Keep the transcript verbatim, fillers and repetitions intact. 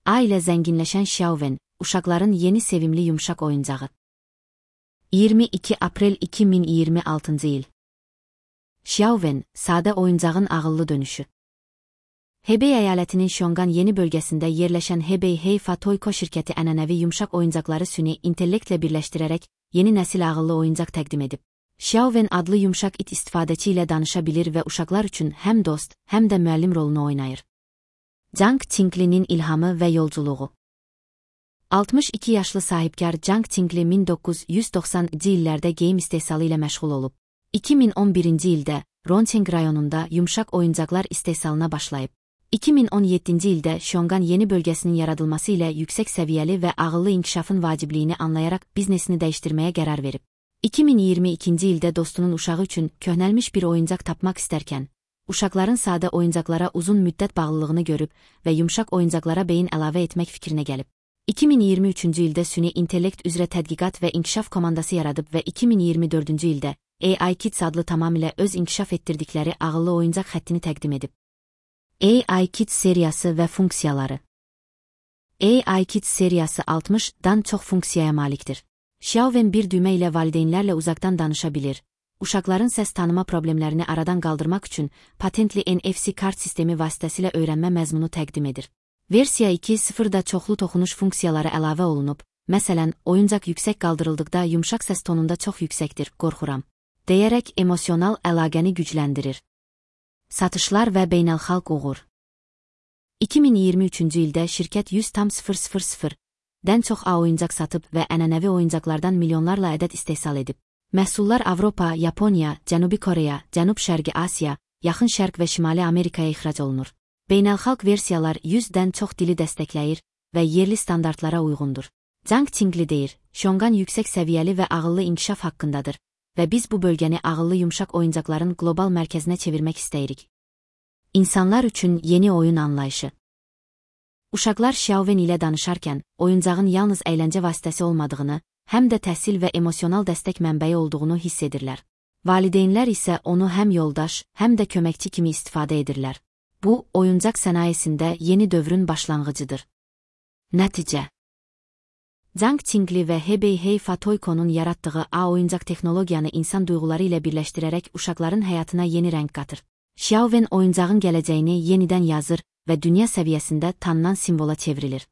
A ilə zənginləşən Xiaowen, uşaqların yeni sevimli yumşaq oyuncağı. iyirmi iki aprel iki min iyirmi altıncı il. Xiaowen, sadə oyuncağın ağıllı dönüşü. Hebei əyalətinin Şongan yeni bölgəsində yerləşən Hebei Heifa Toyco şirkəti ənənəvi yumşaq oyuncaqları süni intellektlə birləşdirərək yeni nəsil ağıllı oyuncaq təqdim edib. Xiaowen adlı yumşaq it istifadəçi ilə danışa bilir və uşaqlar üçün həm dost, həm də müəllim rolunu oynayır. Zhang Tingli'nin ilhamı və yolculuğu. altmış iki yaşlı sahibkar Zhang Tingli min doqquz yüz doxsanıncı illərdə geyim istehsalı ilə məşğul olub. iki min on birinci ildə Rongqing rayonunda yumşaq oyuncaqlar istehsalına başlayıb. iki min on yeddinci ildə Şongan yeni bölgəsinin yaradılması ilə yüksək səviyyəli və ağıllı inkişafın vacibliyini anlayaraq biznesini dəyişdirməyə qərar verib. iki min iyirmi ikinci ildə dostunun uşağı üçün köhnəlmiş bir oyuncaq tapmaq istərkən, uşaqların sadə oyuncaqlara uzun müddət bağlılığını görüb və yumşaq oyuncaqlara beyin əlavə etmək fikrinə gəlib. iki min iyirmi üçüncü ildə süni intellekt üzrə tədqiqat və inkişaf komandası yaradıb və iki min iyirmi dördüncü ildə A I Kids adlı tamamilə öz inkişaf etdirdikləri ağıllı oyuncaq xəttini təqdim edib. A I Kids seriyası və funksiyaları. A I Kids seriyası altmışdan çox funksiyaya malikdir. Xiaowen bir düymə ilə valideynlərlə uzaqdan danışa bilir. Uşaqların səs tanıma problemlərini aradan qaldırmaq üçün patentli N F C kart sistemi vasitəsilə öyrənmə məzmunu təqdim edir. Versiya iki nöqtə sıfırda çoxlu toxunuş funksiyaları əlavə olunub, məsələn, oyuncaq yüksək qaldırıldıqda yumşaq səs tonunda çox yüksəkdir, qorxuram, deyərək emosional əlaqəni gücləndirir. Satışlar və beynəlxalq uğur. iki min iyirmi üçüncü ildə şirkət yüz tam sıfır sıfır sıfırdan çox A oyuncaq satıb və ənənəvi oyuncaqlardan milyonlarla ədəd istehsal edib. Məhsullar Avropa, Yaponiya, Cənubi Koreya, Cənub-Şərqi Asiya, Yaxın Şərq və Şimali Amerikaya ixrac olunur. Beynəlxalq versiyalar yüzdən çox dili dəstəkləyir və yerli standartlara uyğundur. Zhang Tingli deyir, Şongan yüksək səviyyəli və ağıllı inkişaf haqqındadır və biz bu bölgəni ağıllı yumşaq oyuncaqların qlobal mərkəzinə çevirmək istəyirik. İnsanlar üçün yeni oyun anlayışı. Uşaqlar Xiaowen ilə danışarkən, oyuncağın yalnız əyləncə vasitəsi olmadığını, həm də təhsil və emosional dəstək mənbəyi olduğunu hiss edirlər. Valideynlər isə onu həm yoldaş, həm də köməkçi kimi istifadə edirlər. Bu, oyuncaq sənayesində yeni dövrün başlanğıcıdır. Nəticə. Zhang Tingli və Hebei Heifa Toyco'nun yaratdığı A oyuncaq texnologiyanı insan duyğuları ilə birləşdirərək uşaqların həyatına yeni rəng qatır. Xiaowen oyuncağın gələcəyini yenidən yazır və dünya səviyyəsində tanınan simvola çevrilir.